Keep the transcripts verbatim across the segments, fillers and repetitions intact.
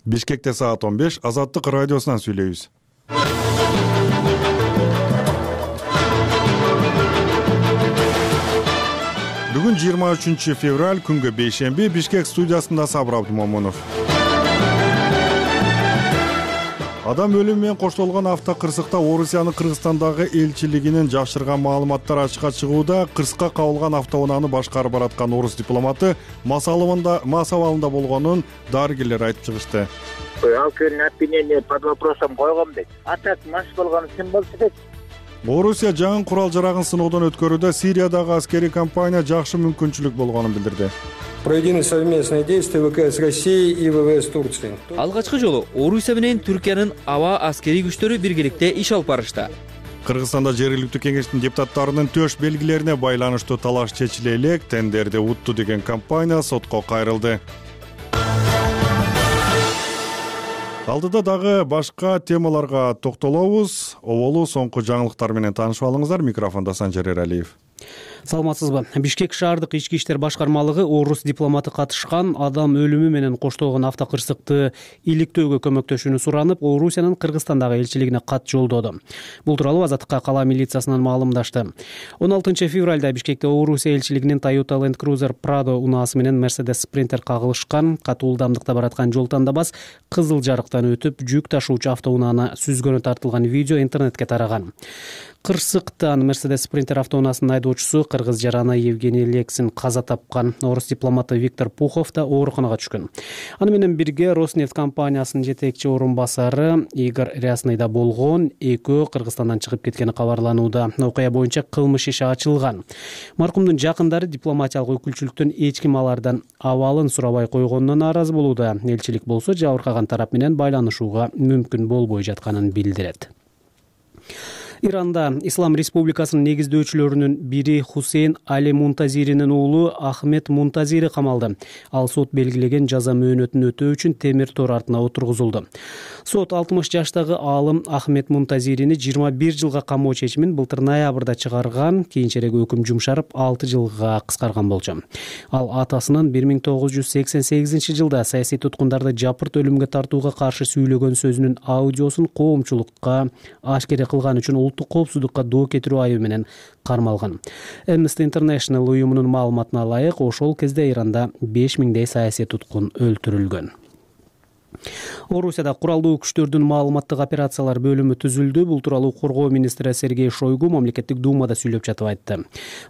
Бишкекте саат он беш, Азаттык радиосунан сүйлөйбүз. Бүгүн жыйырма үчүнчү февраль, күнгө бейшемби, Бишкек студиясында Сабыр Абдумомунов. Адам өлүмү менен коштолгон автокырсыкта Орусиянын Кыргызстандагы элчилигинин жашырган маалыматтар ачыкка чыгууда. Кырсыкка кабылган автоунааны башкарып бараткан орус дипломаты мас абалында болгонун дарыгерлер айтып чыгышты. Ал күнү обвинение под вопросом койгом дейт. А так мас болгону ким болчу дейт. Орусия жаңы курал жарагын сыноодон өткөрүүдө Сириядагы аскерий кампания жакшы мүмкүнчүлүк болгонун билдирди. Проведены совместные действия ВКС России и ВВС Турции. Алгачкы жолу Орусия менен Түркиянын аба аскерий күчтөрү биргеликте иш алып барышты. Кыргызстанда жергиликтүү кеңештин депутаттарынын төш белгилерине байланыштуу талаш чечиле элек, тендерди утту деген компания сотко кайрылды. Алдыда дагы башка темаларга токтолобуз. Оболу соңку жаңылыктар менен таанышып алыңыздар. Микрофондо Санжар Эралиев. Саламатсызбы? Бишкек шаардык ички иштер башкармалыгы орус дипломаты катышкан адам өлүмү менен коштолгон автокырсыкты иликтөөгө көмөктөшүүнү суранып, Орусиянын Кыргызстандагы элчилигине кат жолдоду. Бул тууралуу Азаттыкка кала милициясынан маалымдашты. он алтынчы февралда Бишкекте Орусия элчилигинин Toyota Land Cruiser Prado унаасы менен Mercedes Sprinter кагылышкан. Катуу ылдамдыкта бараткан жол тандабас кызыл жарыктан өтүп, жүк ташуучу автоунааны сүзгөнү тартылган видео интернетке тараган. Кырсыктан Mercedes Sprinter автоунаасынын айдоочусу кыргыз жараны Евгений Лексин каза тапкан. Орус дипломаты Виктор Пухов да ооруканага түшкөн. Аны менен бирге Роснефть компаниясынын жетекчи орун басары Игорь Рясный да болгон. Экөө Кыргызстандан чыгып кеткени кабарланууда. Окуя боюнча кылмыш иши ачылган. Маркумдун жакындары дипломатиялык өкүлчүлүктөн эч ким алардан абалын сурабай койгонуна нааразы болууда. Элчилик болсо жабыркаган тарап менен байланышууга мүмкүн болбой жатканын билдирет. Иранда Ислам Республикасынын негиздөөчүлөрүнүн бири Хусейн Али Мунтазиринин уулу Ахмед Мунтазири камалды. Ал сот белгилеген жаза мөөнөтүн өтөө үчүн темир тор артына отургузулду. Сот алтымыш жаштагы аалым Ахмед Мунтазирини жыйырма бир жылга камоо чечимин былтыр ноябрда чыгарган, кийинчерээк өкүм жумшарып алты жылга кыскарган болчу. Ал атасынын бир миң тогуз жүз сексен сегизинчи жылда саясий туткундарды жапырт өлүмгө тартууга каршы сүйлөгөн сөзүнүн аудиосун коомчулукка ашкере кылган үчүн улуттук коопсуздукка доо кетирүү айыбы менен кармалган. Amnesty International уюмунун маалыматына ылайык, ошол кезде Иранда беш миңдей саясий туткун өлтүрүлгөн. Орусияда куралдуу күчтөрдүн маалыматтык операциялар бөлүмү түзүлдү. Бул тууралуу коргоо министри Сергей Шойгу мамлекеттик думада сүйлөп жатып айтты.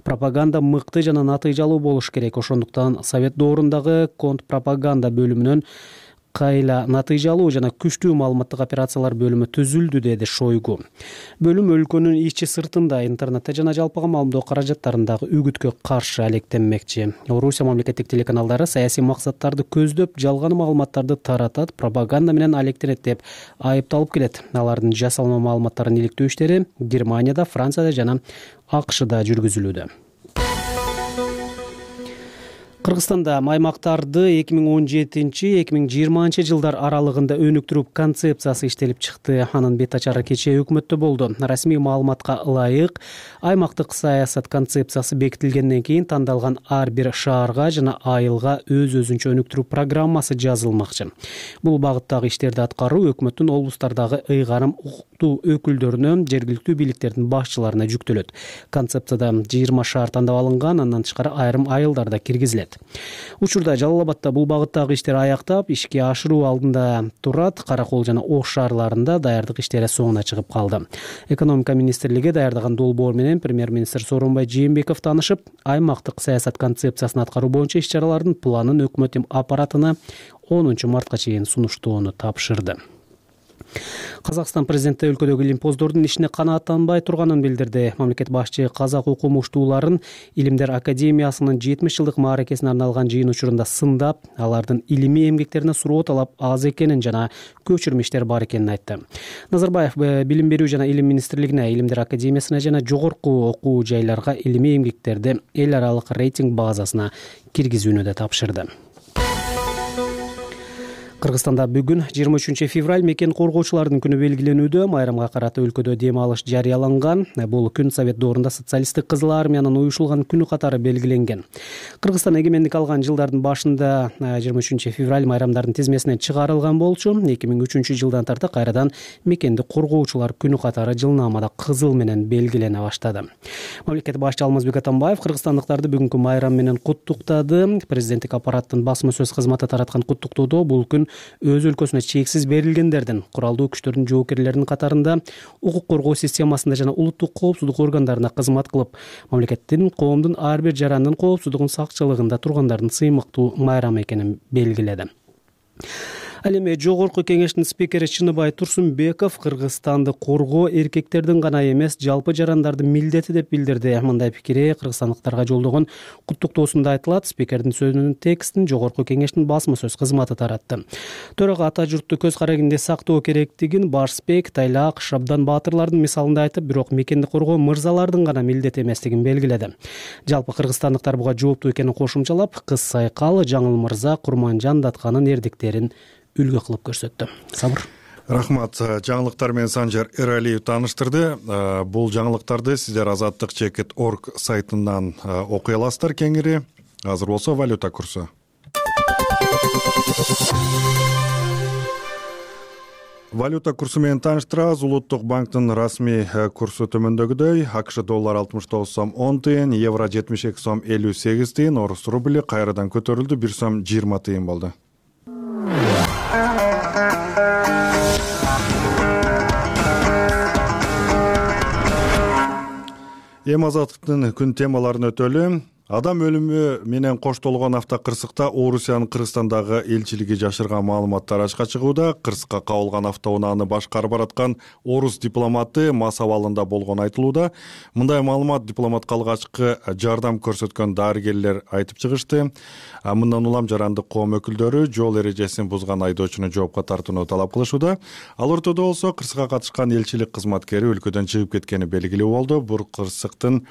Пропаганда мыкты жана натыйжалуу болуш керек. Ошондуктан Совет доорундагы контрпропаганда бөлүмүнөн кайла натыйжалуу жана күчтүү маалыматтык операциялар бөлүмү түзүлдү, деди Шойгу. Бөлүм өлкөнүн ичи сыртында, интернетте жана жалпыга маалымдоо каражаттарындагы үгүткө каршы алектенмекчи. Орусия мамлекеттик телеканалдары саясий максаттарды көздөп, жалган маалыматтарды таратат, пропаганда менен алектенет деп айыпталып келет. Алардын жасалма маалыматтарын иликтөө иштери Германияда, Францияда жана АКШда жүргүзүлүүдө. Кыргызстанда аймактарды эки миң он жетинчи — эки миң жыйырманчы жылдар аралыгында өнүктүрүү концепциясы иштелип чыкты. Анын бет ачары кечээ өкмөттө болду. Расмий маалыматка ылайык, аймактык саясат концепциясы бекитилгенден кийин тандалган ар бир шаарга жана айылга өз-өзүнчө өнүктүрүү программасы жазылмакчы. Бул багыттагы иштерди аткаруу өкмөттүн облустардагы ыйгарым укуктуу өкүлдөрүнө, жергиликтүү бийликтердин башчыларына жүктөлөт. Концепцияда жыйырма шаар тандап алынган, андан тышкары айрым айылдар да киргизилет. Учурда Жалал Абадта бул багыттагы иштер аяктап, ишке ашыруу алдында турат. Каракол жана Ош шаарларында даярдык иштери соңуна чыгып калды. Экономика министрлиги даярдаган долбоор менен премьер-министр Сооронбай Жээнбеков таанышып, аймактык саясат концепциясын аткаруу боюнча иш-чаралардын планын өкмөт аппаратына онунчу мартка чейин сунуштоону тапшырды. Казакстан президенти өлкөдөгү илимпоздордун ишине канааттанбай турганын билдирди. Мамлекет башчы казак окумуштууларын Илимдер академиясынын жетимиш жылдык мааракесине арналган жыйын учурунда сындап, алардын илимий эмгектерине суроо талап аз экенин жана көчүрмө бар экенин айтты. Назарбаев билим берүү жана илим министрлигине, Илимдер академиясына жана жогорку окуу жайларга илимий эмгектерди эл аралык рейтинг базасына киргизүүнү да тапшырды. Кыргызстанда бүгүн жыйырма үчүнчү февраль мекен коргоочулардын күнү белгиленүүдө. Майрамга карата өлкөдө дем алыш жарыяланган. Бул күн Совет доорунда социалисттик кызыл армиянын уюшулган күнү катары белгиленген. Кыргызстан эгемендик алган жылдардын башында жыйырма үчүнчү февраль майрамдардын тизмесинен чыгарылган болчу. эки миң үчүнчү жылдан тарта кайрадан мекенди коргоочулар күнү катары жылнаамада кызыл менен белгилене баштады. Мамлекет башчы Алмазбек Атамбаев кыргызстандыктарды бүгүнкү майрам менен куттуктады. Президенттик аппараттын басма сөз кызматы тараткан куттуктоодо бул күн өз өлкөсүнө чексиз берилгендердин, куралдуу күчтөрдүн жоокерлеринин катарында укук коргоо системасында жана улуттук коопсуздук органдарына кызмат кылып, мамлекеттин, коомдун ар бир жарандын коопсуздугун сакчылыгында тургандардын сыймыктуу майрамы экенин белгиледи. Ал эми Жогорку кеңештин спикери Чыныбай Турсунбеков Кыргызстанды коргоо эркектердин гана эмес, жалпы жарандардын милдети деп билдирди. Мындай пикири кыргызстандыктарга жолдогон куттуктоосунда айтылат. Спикердин сөзүнүн текстин Жогорку кеңештин басма сөз кызматы таратты. Төрага ата журтту көз карагинде сактоо керектигин Башбек, Тайлак, Шабдан баатырлардын мисалында айтып, бирок мекенди коргоо мырзалардын гана милдети эместигин белгиледи. Жалпы кыргызстандыктар буга жооптуу экенин кошумчалап, Кыз Сайкал, Жаңыл Мырза, Курманжан Датканын эрдиктерин үлгү кылып көрсөттү. Сабыр. Рахмат. Жаңылыктар менен Санжар Эралиев тааныштырды. Бул жаңылыктарды сиздер азаттык чекит точка орг сайтынан окуй аласыздар кеңири. Азыр болсо валюта курсу. Валюта курсу менен тааныштырабыз. Улуттук банктын расмий курсу төмөндөгүдөй. АКШ доллар алтымыш тогуз сом он тыйын, евро жетимиш эки сом элүү сегиз тыйын, орус рубли кайрадан көтөрүлдү, бир сом жыйырма тыйын болду. Эми азаттыктын күн темаларын өтөлү. Адам өлүмү менен коштолгон автокырсыкта Орусиянын Кыргызстандагы элчилиги жашырган маалыматтар ачыкка чыгууда. Кырсыкка кабылган автоунааны башкарып бараткан орус дипломаты мас абалында болгону айтылууда. Мындай маалымат дипломатка алгачкы жардам көрсөткөн дарыгерлер айтып чыгышты. Мындан улам жарандык коом өкүлдөрү жол эрежесин бузган айдоочуну жоопко тартууну талап кылышууда. Ал ортодо болсо кырсыкка катышкан элчилик кызматкери өлкөдөн чыгып кеткени белгилүү болду. Бул кырсыктын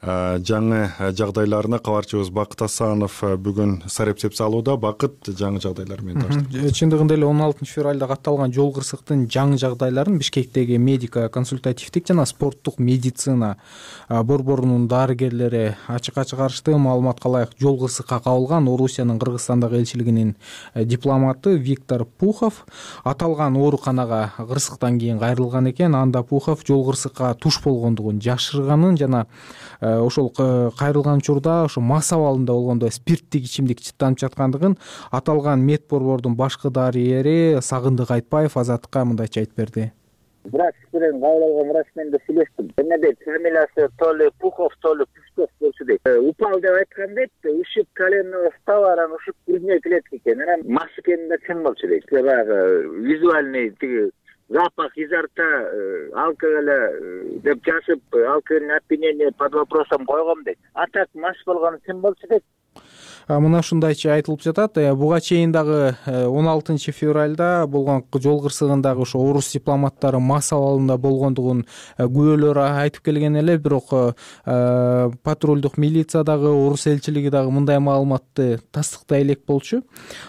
жаңы жагдайларына кабарчыбыз Бакыт Асанов бүгүн сарепсеп салууда. Бакыт, жаңы жагдайлар менен таштады. Чындыгында эле он алтынчы февралда катталган жол кырсыктын жаңы жагдайларын Бишкектеги медико консультативдик жана спорттук медицина борборунун дарыгерлери ачыкка чыгарышты. Маалыматка ылайык, жол кырсыкка кабылган Орусиянын Кыргызстандагы элчилигинин дипломаты Виктор Пухов аталган ооруканага кырсыктан кийин кайрылган экен. Анда Пухов жол кырсыкка туш болгондугун жашырганын жана ошол кайрылган учурда ошо мас абалында болгондо спирттик ичимдик чыттанып жаткандыгын аталган мед борбордун башкы дарыгери Сагындык Айтбаев Азаттыкка мындайча айтып берди. Врач менен кабыл алган врач менен да сүйлөштүм. Эме дейт, фамилиясы то ли Пухов, то ли Пусков болчу дейт. Упал деп айткан дейт, ушуп коленного става, анан ушуп грудной клетка экен. Анан мас экени да чын болчу дейт. Баягы визуальный тиги запах изо рта алкоголя деп жазып, алкогольное опьянение под вопросом койгом дейт. А так мас болгону чын болчу дейт. Мына ушундайча айтылып жатат. Буга чейин дагы он алтынчы февралда болгон жол кырсыгындагы ошо орус дипломаттары мас абалында болгондугун күбөлөр айтып келген эле, бирок патрулдук милиция дагы орус элчилиги дагы мындай маалыматты тастыктай элек болчу.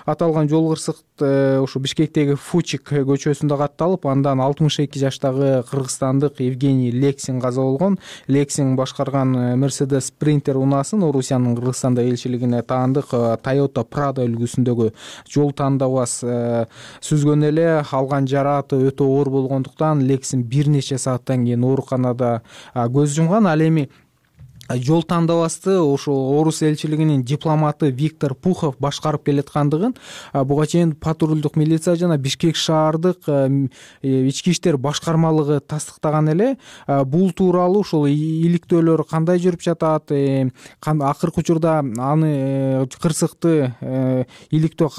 Аталган жол кырсык ошо Бишкектеги Фучик көчөсүндө катталып, андан алтымыш эки жаштагы кыргызстандык Евгений Лексин каза болгон. Лексин башкарган Mercedes Sprinter унаасын Орусиянын Кыргызстанда элчилигине таандык Toyota Prado үлгүсүндөгү жол тандабас сүзгөн эле. Алган жарааты өтө оор болгондуктан Лексин бир нече сааттан кийин ооруканада көз жумган. Ал эми жол тандабасты ошо орус элчилигинин дипломаты Виктор Пухов башкарып келаткандыгын буга чейин патрулдук милиция жана Бишкек шаардык ички иштер башкармалыгы тастыктаган эле. Бул тууралуу ошол иликтөөлөр кандай жүрүп жатат, акыркы учурда аны кырсыкты иликтөө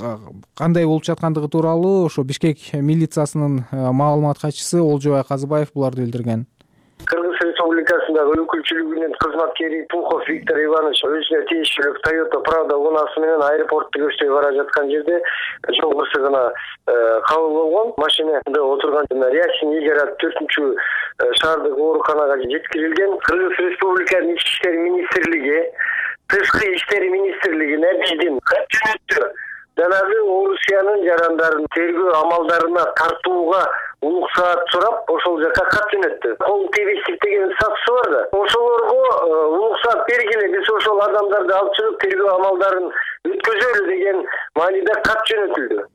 кандай болуп жаткандыгы тууралуу ошо Бишкек милициясынын маалымат катчысы Олжобай Казыбаев буларды билдирген. Кыргыз Республикасындагы өкүлчүлүгүнүн кызматкери Пухов Виктор Иванович өзүнө тийиштүү Toyota Prado унаасы менен аэропортто көчтөй бара жаткан жерде жол кырсыгына кабыл болгон. Машинада отурган Рясин Игорь төртүнчү шаардык ооруканага жеткирилген. Кыргыз Республикасынын Ички иштер министрлиги, Тышкы иштер министрлигине биздин кат жөнөттү. жанагы Орусиянын жарандарын тергөө амалдарына тартууга уруксаат сурап ошол жака кат жөнөттү. Кол тийбестик деген статусу бар да. Ошолорго уруксаат бергиле, биз ошол адамдарды алып чыгып тергөө амалдарын өткөзөлү деген мааниде кат жөнөтүлдү.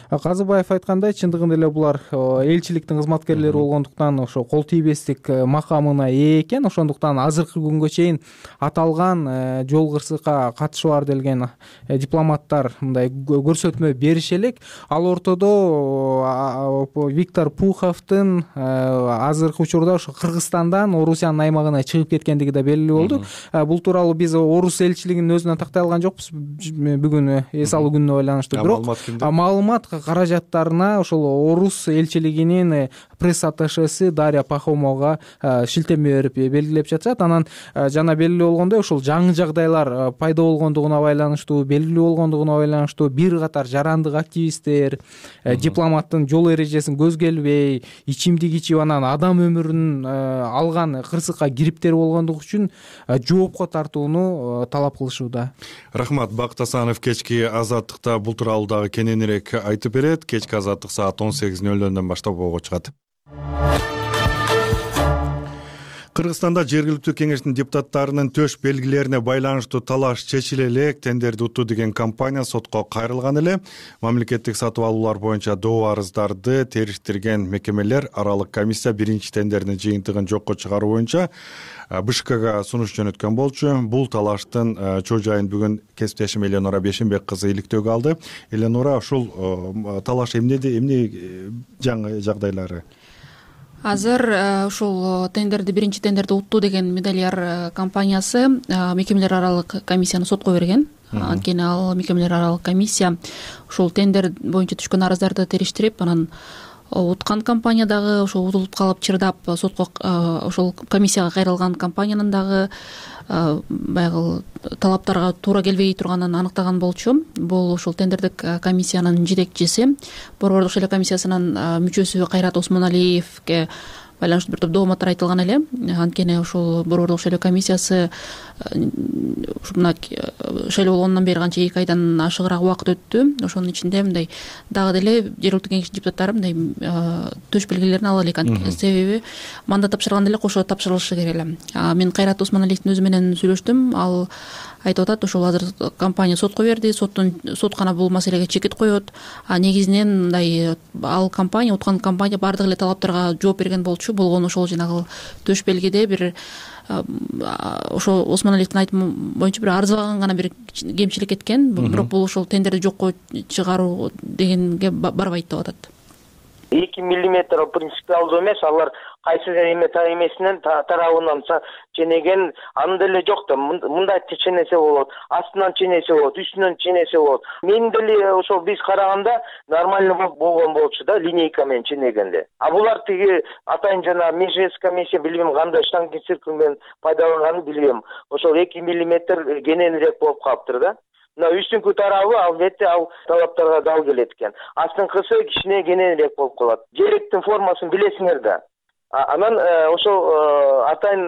Казыбаев айткандай, чындыгында эле булар элчиликтин кызматкерлери болгондуктан ошо кол тийбестик макамына ээ экен. Ошондуктан азыркы күнгө чейин аталган жол кырсыкка катышы бар делген дипломаттар мындай көрсөтмө берише элек. Ал ортодо Виктор Пуховдун азыркы учурда ошо Кыргызстандан Орусиянын аймагына чыгып кеткендиги да белгилүү болду. Бул тууралуу биз Орус элчилигинин өзүнөн тактай алган жокпуз бүгүн эс алуу күнүнө байланыштуу. Бирок маалымат каражаттарына ошол Орус элчилигинин пресс-атташеси Дарья Пахомова шилтеме берип белгилеп жатышат. Анан жана белгилүү болгондой, ошол жаңы жагдайлар пайда болгондугуна байланыштуу, белгилүү болгондугуна байланыштуу бир катар жарандык активисттер дипломаттын жол эрежесин көзгө илбей, ичимдик ичип анан адам өмүрүн алган кырсыкка кириптер болгондугу үчүн жоопко тартууну талап кылышууда. Рахмат. Бакыт Асанов кечки Азаттыкта бул тууралуу дагы кененирээк айтып берет. Кечки Азаттык саат он сегиз нөл нөлдөн баштап ого чыгат. Кыргызстанда жергиликтүү кеңештин депутаттарынын төш белгилерине байланыштуу талаш чечиле элек тендерди утту деген компания сотко кайрылган эле. Мамлекеттик сатып алуулар боюнча доо арыздарды териштирген мекемелер аралык комиссия биринчи тендердин жыйынтыгын жокко чыгаруу боюнча БШКга сунуш жөнөткөн болчу. Бул талаштын чоо жайын бүгүн кесиптешим Эленора Бешенбек кызы иликтөөгө алды. Эленора, ушул талаш эмнеде, эмне жаңы жагдайлары? Азыр ушул тендерди биринчи тендерди утту деген Медальяр компаниясы мекемелер аралык комиссияны сотко берген. Анткени ал мекемелер аралык комиссия ушул тендер боюнча түшкөн арыздарды териштирип, анан уткан компания дагы ошол утулуп калып чырдап сотко ошол комиссияга кайрылган компаниянын дагы баягы талаптарга туура келбей турганын аныктаган болчу. Бул ушул тендердик комиссиянын жетекчиси, Борбордук шайлоо комиссиясынын мүчөсү Кайрат Осмоналиевге байланыштуу бир топ дооматтар айтылган эле. Анткени ушул Борбордук шайлоо комиссиясы мына шайлоо болгондон бери канча эки айдан ашыгыраак убакыт өттү. Ошонун ичинде мындай дагы деле жергиликтүү кеңештин депутаттары мындай төш белгилерин ала элек. Себеби мандат тапшырганда эле кошо тапшырылышы керек эле. Мен Кайрат Осмоналиевдин өзү менен сүйлөштүм. Ал айтып атат, ошол азыр компания сотко берди, соттун сот гана бул маселеге чекит коет. А негизинен мындай ал компания, уткан компания бардык эле талаптарга жооп берген болчу. Болгону ошол жанагы төш белгиде бир ошо Осмоналиевдин айтымы боюнча бир арзыбаган гана бир кемчилик кеткен. Бирок бул ошол тендерди жокко чыгаруу дегенге барбайт деп атат. эки миллиметр принципиалдуу эмес, алар кайсы эме эмесинен тарабынан ченеген аны деле жок да. Мындай ченесе болот, астынан ченесе болот, үстүнөн ченесе болот. Мен деле ошол биз караганда нормально болгон болчу да, линейка менен ченегенде. А булар тиги атайын жана межес комиссия билбейм кандай штангенциркуль менен пайдаланганын билбейм. Ошол эки миллиметр кененирээк болуп калыптыр да. Мына үстүнкү тарабы албетте ал талаптарга дал келет экен. Астыңкысы кичине кененирээк болуп калат. Желектин формасын билесиңер да. Анан ошол атайын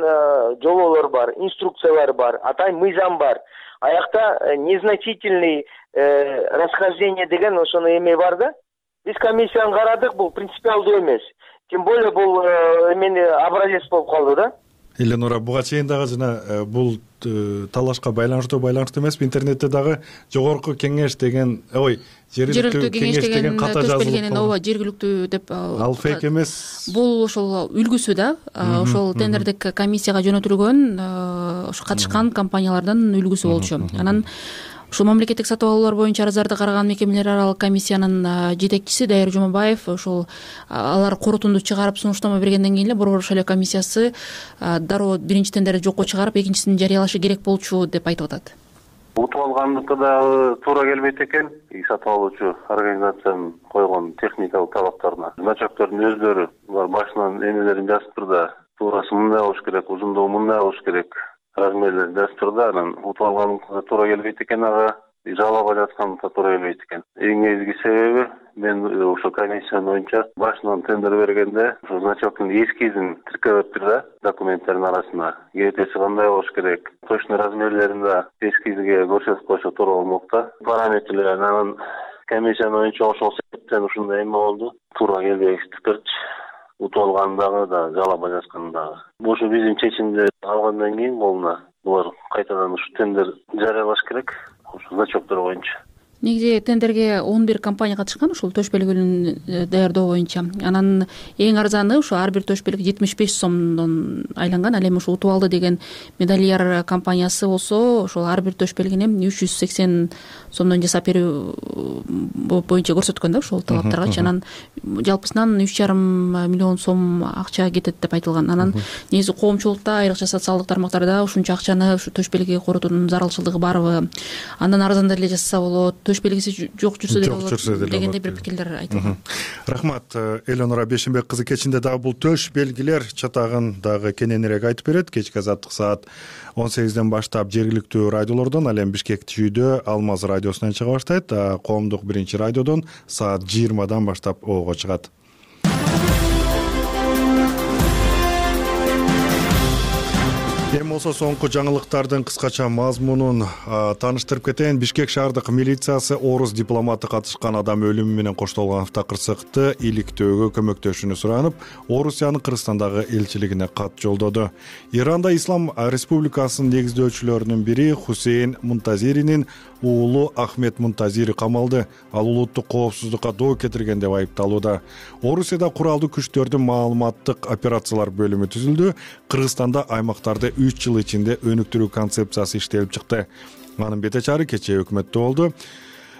жолоолор бар, инструкциялар бар, атайын мыйзам бар. Аякта незначительный расхождение деген ошону эме бар да. Биз комиссияны карадык, бул принципиалдуу эмес. Тем более бул эмени образец болуп калды да. Эленора, буга чейин дагы жана бул талашка байланыштуу байланыштуу эмес, интернетте дагы жогорку кеңеш деген, ой, жергиликтүү кеңеш деген ката жазылып, ооба, жергиликтүү деп. Ал фейк эмес. Бул ошол үлгүсү да, ошол тендердик комиссияга жөнөтүлгөн, ошо катышкан компаниялардын үлгүсү болчу. Анан ушул мамлекеттик сатып алуулар боюнча арыздарды караган мекемелер аралык комиссиянын жетекчиси Дайыр Жумабаев ошол алар корутунду чыгарып сунуштама бергенден кийин эле Борбордук шайлоо комиссиясы дароо биринчи тендерди жокко чыгарып экинчисин жарыялашы керек болчу деп айтып атат. Утуп алгандыкы да туура келбейт экен. Сатып алуучу организациянын койгон техникалык талаптарына. Начальниктердин өздөрү булар башынан эмелерин жазып турда, туурасы мындай болуш керек, узундугу мындай болуш керек. Размерлер дастурда, анан утуп алганыкка туура келбейт экен, ага жалаба жатканыкка туура келбейт экен. Эң негизги себеби мен ошо комиссия боюнча башынан тендер бергенде ошо началканын эскизин тиркебептир да, документтердин арасына. Кетеси кандай болуш керек, точно размерлерин да эскизге көрсөтүп койсо туура болмок да. Параметрлерин анан комиссиянын оюнча ошол себептен ушундай эме болду. Туура келбегендиктерчи. Утуп алган дагы да, жалоба жазган дагы. Ушу биздин чечимди алгандан кийин болуна булар кайтадан ушу тендер жарыялаш керек. Ушу зачёттор боюнча. Негизи тендерге он бир компания катышкан ушул төш белгилүүнү даярдоо боюнча. Анан эң арзаны ушу ар бир төш белги жетимиш беш сомдон айланган. Ал эми ушу утуп алды деген медальяр компаниясы болсо, ошол ар бир төш белгини үч жүз сексен сомдон жасап берүү боюнча көрсөткөн да ошол талаптаргачы. Анан жалпысынан үч жарым миллион сом акча кетет деп айтылган. Анан негизи коомчулукта, айрыкча социалдык тармактарда ушунча акчаны ушу төш белги коротуунун зарылчылыгы барбы? Андан арзандап эле жазса болот. Төш белгиси жок жүрсө деле болот дегендей бир пикирлер айтылган. Рахмат, Элеонора Бешенбек кызы. Кечинде дагы бул төш белгилер чатагын дагы кененирээк айтып берет. Кечки азаттык саат он сегизден баштап жергиликтүү радиолордон, ал эми Бишкек түйдө Алмаз радиосунан чыга баштайт. Коомдук биринчи радиодон саат жыйырмадан баштап ого чыгат. Эми болсо соңку жаңылыктардын кыскача мазмунун тааныштырып кетейин. Бишкек шаардык милициясы орус дипломаты катышкан адам өлүмү менен коштолгон автокырсыкты иликтөөгө көмөктөшүүнү суранып, Орусиянын Кыргызстандагы элчилигине кат жолдоду. Иранда Ислам Республикасынын негиздөөчүлөрүнүн бири Хусейн Мунтазиринин уулу Ахмет Мунтазири камалды. Ал улуттук коопсуздукка доо кетирген деп айыпталууда. Орусияда куралдуу күчтөрдүн маалыматтык операциялар бөлүмү түзүлдү. Кыргызстанда аймактарды үч жыл ичинде өнүктүрүү концепциясы иштелип чыкты. Анын бете чары кечээ өкмөттө болду.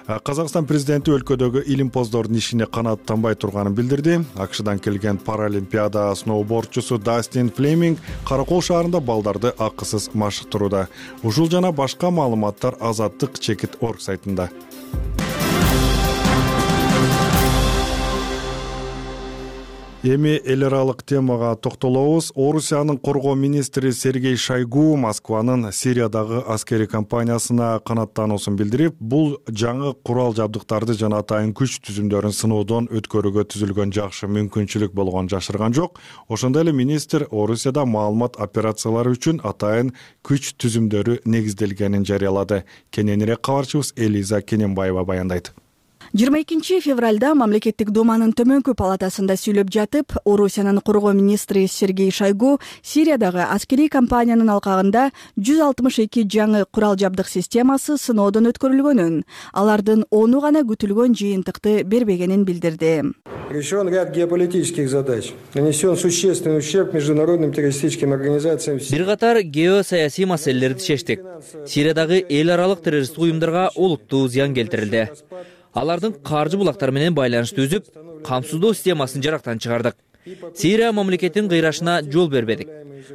Казакстан президенти өлкөдөгү илимпоздордун ишине канааттанбай турганын билдирди. АКШдан келген паралимпиада сноубордчусу Дастин Флеминг Каракол шаарында балдарды акысыз машыктырууда. Ушул жана башка маалыматтар Азаттык чекит точка орг сайтында. Эми эл аралык темага токтолобуз. Орусиянын коргоо министри Сергей Шойгу Москванын Сириядагы аскери кампаниясына канааттануусун билдирип, бул жаңы курал жабдыктарды жана атайын күч түзүмдөрүн сыноодон өткөрүүгө түзүлгөн жакшы мүмкүнчүлүк болгонун жашырган жок. Ошондой эле министр Орусияда маалымат операциялары үчүн атайын күч түзүмдөрү негизделгенин жарыялады. Кененирээк кабарчыбыз Элиза Кененбаева баяндайт. жыйырма экинчи февралда мамлекеттик думанын төмөнкү палатасында сүйлөп жатып, Орусиянын коргоо министри Сергей Шойгу Сириядагы аскерий кампаниянын алкагында жүз алтымыш эки жаңы курал жабдык системасы сыноодон өткөрүлгөнүн, алардын ону гана күтүлгөн жыйынтыкты бербегенин билдирди. Решен ряд геополитических задач. Нанесен существенный ущерб международным террористическим организациям. Бир катар геосаясий маселелерди чечтик. Сириядагы эл аралык террористтик уюмдарга олуттуу зыян келтирилди. Алардын каржы булактары менен байланышты үзүп, камсыздоо системасын жарактан чыгардык. Сирия мамлекетинин кыйрашына жол бербедик.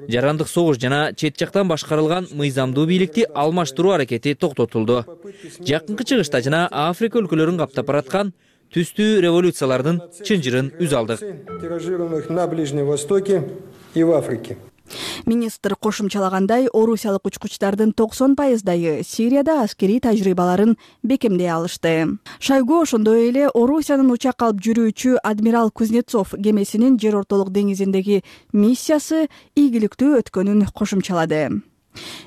Жарандык согуш жана чет жактан башкарылган мыйзамдуу бийликти алмаштыруу аракети токтотулду. Жакынкы чыгышта жана Африка өлкөлөрүн каптап бараткан түстүү революциялардын чынжырын үз алдык. Тиражированных на Ближнем Востоке и в Африке. Министр кошумчалагандай, орусиялык учкучтардын токсон пайыздайы Сирияда аскерий тажрыйбаларын бекемдей алышты. Шойгу ошондой эле Орусиянын учак алып жүрүүчү адмирал Кузнецов кемесинин жер ортолук деңизиндеги миссиясы ийгиликтүү өткөнүн кошумчалады.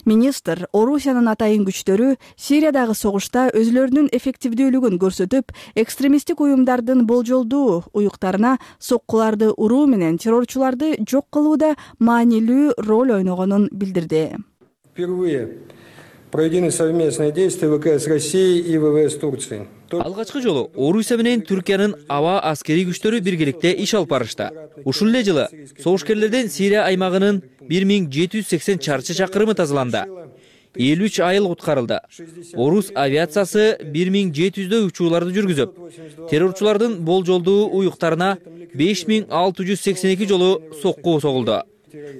Министр Орусиянын атайын күчтөрү Сириядагы согушта өзүлөрүнүн эффективдүүлүгүн көрсөтүп, экстремисттик уюмдардын болжолдуу уюктарына соккуларды уруу менен террорчуларды жок кылууда маанилүү роль ойногонун билдирди. Впервые проведены совместные действия ВКС России и ВВС Турции. Алгачкы жолу Орусия менен Түркиянын аба аскерий күчтөрү биргеликте иш алып барышты. Ушул эле жылы согушкерлерден Сирия аймагынын бир миң жети жүз сексен чарчы чакырымы тазаланды. элүү үч айыл куткарылды. Орус авиациясы бир миң жети жүздөй учууларды жүргүзүп, террорчулардын болжолдуу уюктарына беш миң алты жүз сексен эки жолу сокку согулду.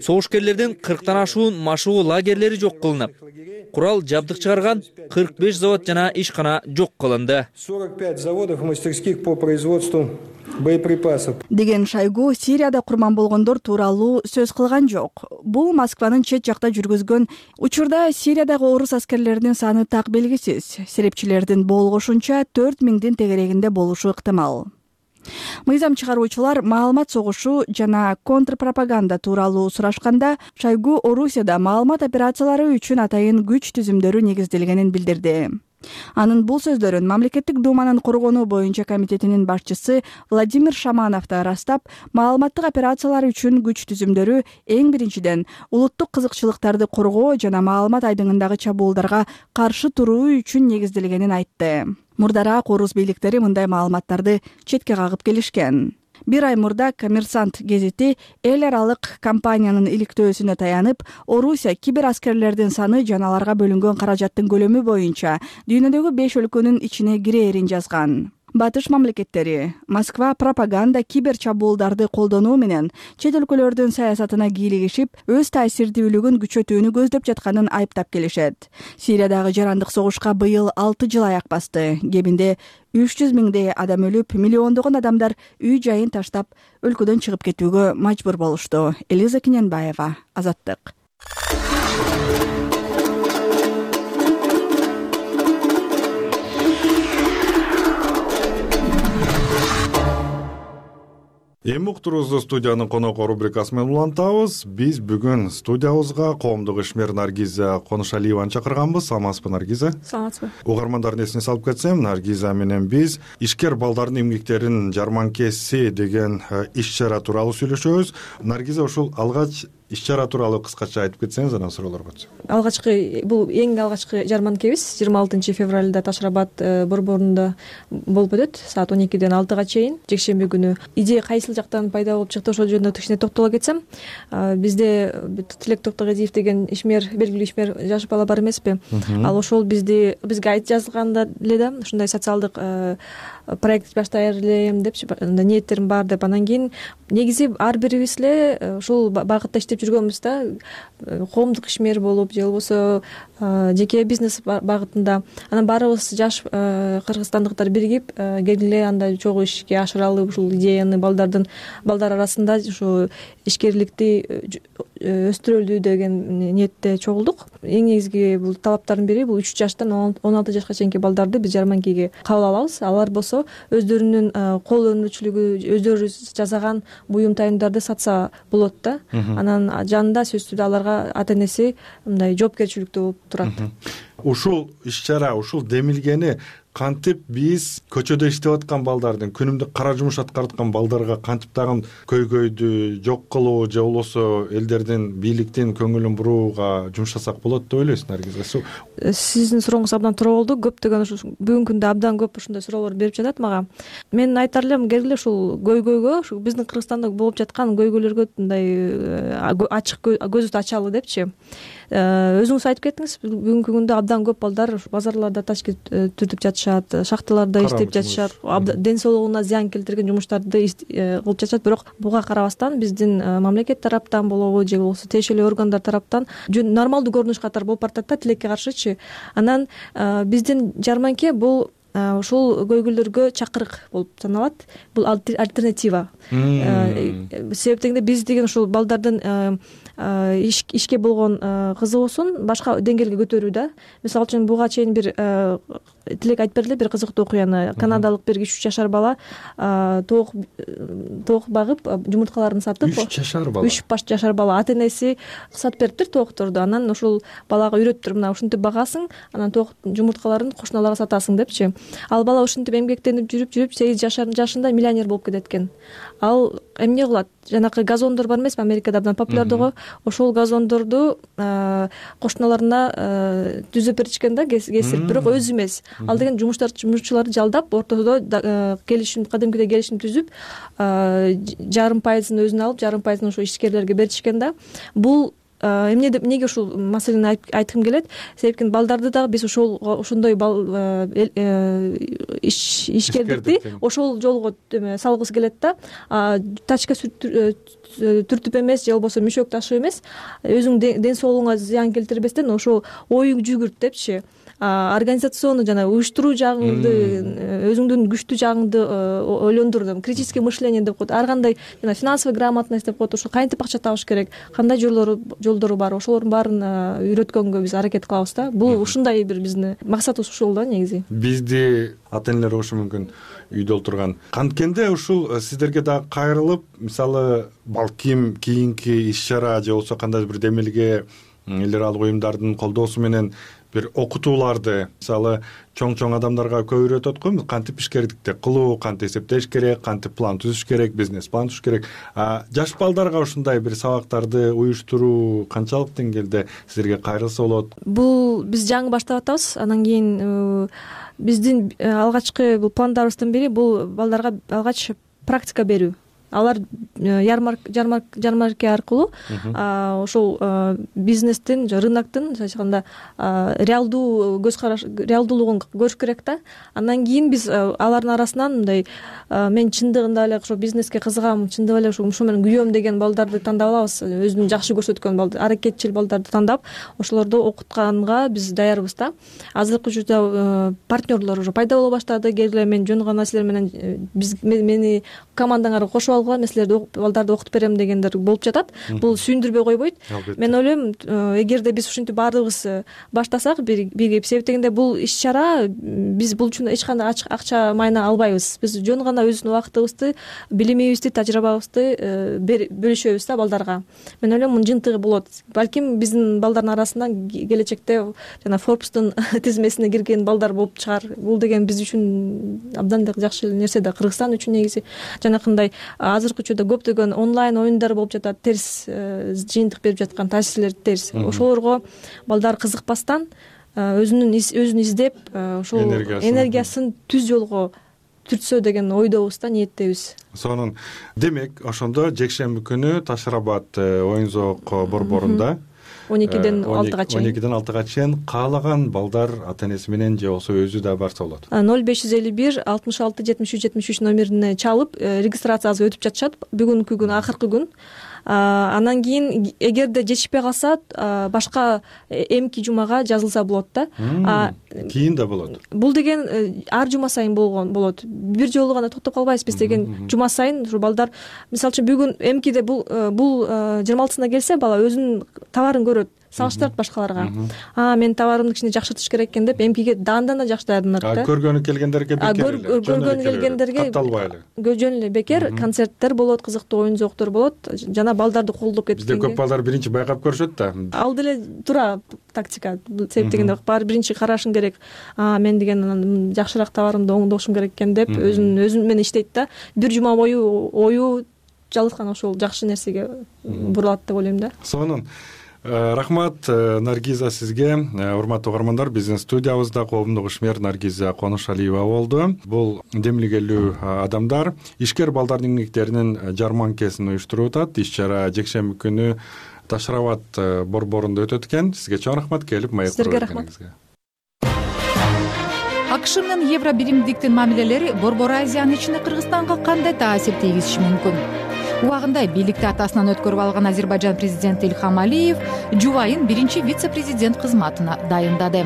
Согушкерлердин кырктан ашуун машыгуу лагерлери жок кылынып, курал жабдык чыгарган кырк беш завод жана ишкана жок кылынды. сорок пять заводов и мастерских по производству боеприпасов. Деген Шойгу Сирияда курман болгондор тууралуу сөз кылган жок. Бул Москванын чет жакта жүргүзгөн учурда Сириядагы орус аскерлеринин саны так белгисиз. Серепчилердин болгошунча төрт миңдин тегерегинде болушу ыктымал. Мыйзам чыгаруучулар маалымат согушу жана контрпропаганда тууралуу сурашканда, Шойгу Орусияда маалымат операциялары үчүн атайын күч түзүмдөрү негизделгенин билдирди. Анын бул сөздөрүн Мамлекеттик думанын коргонуу боюнча комитетинин башчысы Владимир Шаманов да ырастап, маалыматтык операциялар үчүн күч түзүмдөрү эң биринчиден улуттук кызыкчылыктарды коргоо жана маалымат айдыңындагы чабуулдарга каршы туруу үчүн негизделгенин айтты. Мурдараак орус бийликтери мындай маалыматтарды четке кагып келишкен. Бир ай мурда Коммерсант гезити эл аралык компаниянын иликтөөсүнө таянып, Орусия кибер аскерлердин саны жана аларга бөлүнгөн каражаттын көлөмү боюнча дүйнөдөгү беш өлкөнүн ичине кирээрин жазган. Батыш мамлекеттери Москва пропаганда кибер чабуулдарды колдонуу менен чет өлкөлөрдүн саясатына кийлигишип, өз таасирдүүлүгүн күчөтүүнү көздөп жатканын айыптап келишет. Сириядагы жарандык согушка быйыл алты жыл аяк басты. Кебинде үч жүз миңдей адам өлүп, миллиондогон адамдар үй жайын таштап, өлкөдөн чыгып кетүүгө мажбур болушту. Элиза Киненбаева, Азаттык. Эми уктуруубузду студиянын коноку рубрикасы менен улантабыз. Биз бүгүн студиябызга коомдук ишмер Наргиза Конушалиеваны чакырганбыз. Саламатсызбы, Наргиза? Саламатсызбы. Угармандардын эсине салып кетсем, Наргиза менен биз ишкер балдардын эмгектеринин жарманкеси деген иш-чара тууралуу сүйлөшөбүз. Наргиза, ушул алгач иш-чара тууралуу кыскача айтып кетсеңиз, анан суроолорго өтсөк. Алгачкы бул эң алгачкы жарманкебиз жыйырма алтынчы февралда Таш Рабат борборунда болуп өтөт. Саат он экиден алтыга чейин жекшемби күнү. Идея кайсыл жактан пайда болуп чыкты, ошол жөнүндө кичине токтоло кетсем, бизде Тилек Токтогезиев деген ишмер, белгилүү ишмер жаш бала бар эмеспи? Ал ошол бизди бизге айт жазганда эле да ушундай социалдык проект баштайар элем депчи, ниеттерим бар деп. Анан кийин негизи ар бирибиз эле ушул багытта иштеп жүргөнбүз да, коомдук ишмер болуп же болбосо жеке бизнес багытында. Анан баарыбыз жаш кыргызстандыктар биригип келгиле андай чогуу ишке ашыралы, ушул идеяны балдардын балдар арасында ушу ишкерликти өстүрөлү деген ниетте чогулдук. Эң негизги бул талаптардын бири бул үч жаштан он алты жашка чейинки балдарды биз жарманкеге кабыл алабыз. Алар болсо өздөрүнүн кол өнөрчүлүгү, өздөрү жасаган буюм тайымдарды сатса болот да. Анан жанында сөзсүз түрдө аларга ата энеси мындай жоопкерчиликтүү болуп турат. Ушул иш-чара, ушул демилгени кантип биз көчөдө иштеп аткан балдардын, күнүмдүк кара жумуш аткарып аткан балдарга кантип тагын көйгөйдү жок кылуу же болбосо элдердин, бийликтин көңүлүн бурууга жумшасак болот деп ойлойсуз, Наргиза? Сиздин сурооңуз абдан туура болду. Көптөгөн ушу бүгүнкү күндө абдан көп ушундай суроолор берип жатат мага. Мен айтар элем, келгиле ушул көйгөйгө, ушу биздин Кыргызстанда болуп жаткан көйгөйлөргө мындай ачык көзүбүздү ачалы депчи. Өзүңүз айтып кеттиңиз, бүгүнкү күндө абдан көп балдар базарларда ташкент түртүп жатышат, шахталарда иштеп жатышат, ден соолугуна зыян келтирген жумуштарды кылып жатышат. Бирок буга карабастан биздин мамлекет тараптан болобу же болбосо тиешелүү органдар тараптан нормалдуу көрүнүш катары болуп баратат да, тилекке каршычы. Анан биздин жарманке бул ушул көйгөйлөргө чакырык болуп саналат. Бул альтернатива. Себеп дегенде биз деген ушул балдардын ишке болгон кызыгуусун башка деңгээлге көтөрүү да. Мисалы үчүн буга чейин бир Тилек айтып бергиле бир кызыктуу окуяны. Канадалык бир үч жашар бала тоок тоок багып, жумурткаларын сатып, үч жашар бала үч жашар бала ата энеси сатып бериптир тоокторду. Анан ушул балага үйрөттүр, мына ушинтип багасың, анан тоок жумурткаларын кошуналарга сатасың депчи. Ал бала ушинтип эмгектенип жүрүп жүрүп сегиз жашында миллионер болуп кетет экен. Ал эмне кылат? Жанакы газондор бар эмеспи, Америкада абдан популярдуу. Ошол газондорду кошуналарына түзүп беришкен да, кесип, бирок өзү эмес. Ал деген жумуштар жумушчуларды жалдап, ортодо келишим, кадимкидей келишим түзүп, жарым пайызын өзүнө алып, жарым пайызын ошо ишкерлерге беришкен да. Бул эмне деп, эмнеге ушул маселени айткым келет? Себептен балдарды дагы биз ошол ошондой ишкерликти ошол жолго салгыбыз келет да. Тачка түртүп эмес же болбосо мүшөк ташып эмес, өзүң ден соолугуңа зыян келтирбестен ошол оюң жүгүрт депчи. Организационный жана уюштуруу жагыңды, өзүңдүн күчтүү жагыңды ойлондурдум. Критическое мышление деп коет. Ар кандай жана финансовый грамотность деп коет. Ошо кантип акча табыш керек, кандай жолдору жолдору бар, ошолордун баарын үйрөткөнгө биз аракет кылабыз да. Бул ушундай бир биздин максатыбыз ушул да негизи. Бизди ата энелер ушу мүмкүн үйдө отурган. Канткенде ушул сиздерге дагы кайрылып, мисалы, балким кийинки иш-чара же болбосо кандай бир демилге эл аралык уюмдардын колдоосу менен бир окутууларды мисалы чоң чоң адамдарга көп үйрөтөт го, кантип ишкердикти кылуу, кантип эсептеш керек, кантип план түзүш керек, бизнес план түзүш керек. Жаш балдарга ушундай бир сабактарды уюштуруу канчалык деңгээлде силерге кайрылса болот? Бул биз жаңы баштап атабыз. Анан кийин биздин алгачкы бул пландарыбыздын бири бул балдарга алгач практика берүү. Алар жармарка аркылуу ошол бизнестин, рыноктун айтканда реалдуу көз караш, реалдуулугун көрүш керек да. Андан кийин биз алардын арасынан мындай мен чындыгында эле ошо бизнеске кызыгам, чындыгында эле ушул менен күйөм деген балдарды тандап алабыз. Өзүн жакшы көрсөткөн балдар, аракетчил балдарды тандап, ошолорду окутканга биз даярбыз да. Азыркы учурда партнерлор уже пайда боло баштады. Келгиле, мен жөн гана силер менен биз мени командаңарга кошуп алгыла, мен силерди балдарды окутуп берем дегендер болуп жатат. Бул сүйүндүрбөй койбойт. Мен ойлойм, эгерде биз ушинтип баардыгыбыз баштасак бирге, себеп дегенде бул иш-чара биз бул үчүн эч кандай акча майна албайбыз. Биз жөн гана өзүбүздүн убактыбызды, билимибизди, тажрыйбабызды бөлүшөбүз да балдарга. Мен ойлойм, мунун жыйынтыгы болот. Балким биздин балдардын арасынан келечекте жана Forbes'тун тизмесине кирген балдар болуп чыгар. Бул деген биз үчүн абдан эле жакшы нерсе да, Кыргызстан үчүн негизи. Жанакындай азыркы учурда көптөгөн онлайн оюндар болуп жатат, терс жыйынтык берип жаткан таасирлер терс. Ошолорго балдар кызыкпастан өзүнүн өзүн издеп, ошол энергиясын түз жолго түртсө деген ойдобуз да, ниеттебиз. Сонун демек, ошондо жекшемби күнү Ташырабад оюн зоок борборунда он экиден алтыга чейин он экиден алтыга чейин каалаган балдар ата энеси менен же болбосо өзү да барса болот. ноль беш жүз элүү бир алтымыш алты жетимиш үч жетимиш үч номерине чалып регистрациясы өтүп жатышат. Бүгүнкү күн акыркы күн. Анан кийин эгерде жетишпей калса башка эмки жумага жазылса болот да. Кийин да болот. Бул деген ар жума сайын болгон болот. Бир жолу гана токтоп калбайбыз биз деген. Жума сайын ушу балдар, мисалы үчүн бүгүн эмкиде бул бул жыйырма алтысына келсе бала өзүнүн товарын көрөт, салыштырат башкаларга. А, мен товарымды кичине жакшыртыш керек экен деп эмкиге даандан да жакшы даярданат да. Көргөнү келгендерге бекер эле. Көргөнү келгендерге катталбай эле. Жөн эле бекер концерттер болот, кызыктуу оюн зооктор болот. Жана балдарды колдоп кеткенге. Бизде көп балдар биринчи байкап көрүшөт да. Ал деле туура тактика. Себеп дегенде баары биринчи карашың керек. А, мен деген жакшыраак товарымды оңдошум керек экен деп өзүн өзү менен иштейт да. Бир жума бою ою жалыткан ошол жакшы нерсеге бурулат деп ойлойм да. Сонун. Рахмат Наргиза сизге. Урматтуу угармандар, биздин студиябызда коомдук ишмер Наргиза Конушалиева болду. Бул демилгелүү адамдар ишкер балдардын эмгектеринин жарманкесин уюштуруп атат. Иш-чара жекшемби күнү Ташырабад борборунда өтөт экен. Сизге чоң рахмат, келип маек куруп келгениңизге. АКШ менен евро биримдиктин мамилелери Борбор Азиянын ичинде Кыргызстанга кандай таасир тийгизиши мүмкүн? Убагында бийликти атасынан өткөрүп алган Азербайжан президенти Илхам Алиев жубайын биринчи вице-президент кызматына дайындады.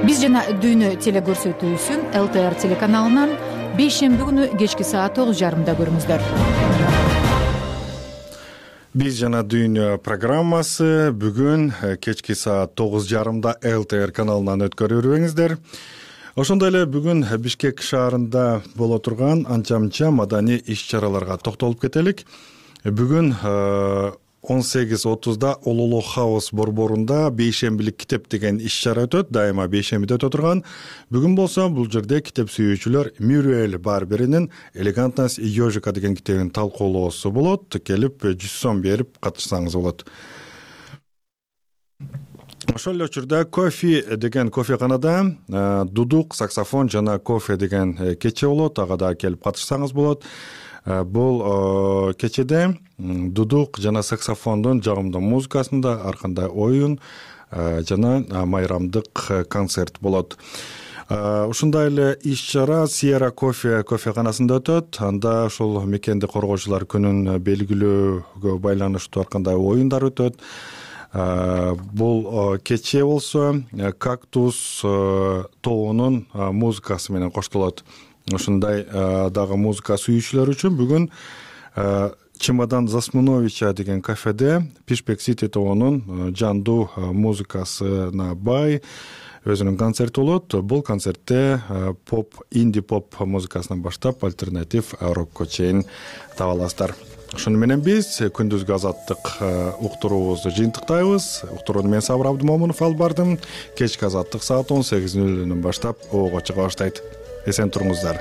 Биз жана дүйнө телекөрсөтүүсүн эл тэ эр телеканалынан бейшемби күнү кечки саат тогуз жарымда көрүңүздөр. Биз жана дүйнө программасы бүгүн кечки саат тогуз жарымда эл тэ эр каналынан өткөрүп жүрбөңүздөр. Ошондой эле бүгүн Бишкек шаарында боло турган анча-мынча маданий иш-чараларга токтолуп кетелик. Бүгүн он сегиз отузда Улуулук Хаус борборунда бейшембилик китеп деген иш-чара өтөт. Дайыма бейшембиде өтө турган. Бүгүн болсо бул жерде китеп сүйүүчүлөр Мюрриэль Барберинин «Элегантность и ежика» деген китебин талкуулоосу болот. Келип жүз сом берип катышсаңыз болот. Ошол эле учурда кофе деген кофеканада дудук, саксофон жана кофе деген кече болот. Ага да келип катышсаңыз болот. Бул кечеде дудук жана саксофондун жагымдуу музыкасында ар кандай оюн жана майрамдык концерт болот. Ушундай эле иш-чара Сиера кофе кофеканасында өтөт. Анда ошол мекенди коргоочулар күнүн белгилөөгө байланыштуу ар кандай оюндар өтөт. Бул кече болсо Кактус тоонун музыкасы менен коштолот. Ушундай дагы музыка сүйүүчүлөр үчүн бүгүн Чемодан Засмуновича деген кафеде Пишпек Сити тоонун жандуу музыкасына бай өзүнүн концерти болот. Бул концертте поп, инди поп музыкасынан баштап альтернатив рокко чейин таба аласыздар. ошону менен биз күндүзгү азаттык уктуруубузду жыйынтыктайбыз. Уктурууну мен Сабыр Абдымомунов алып бардым. Кечки азаттык саат он сегиз нөл нөлдөн баштап оого чыга баштайт. Эсен туруңуздар.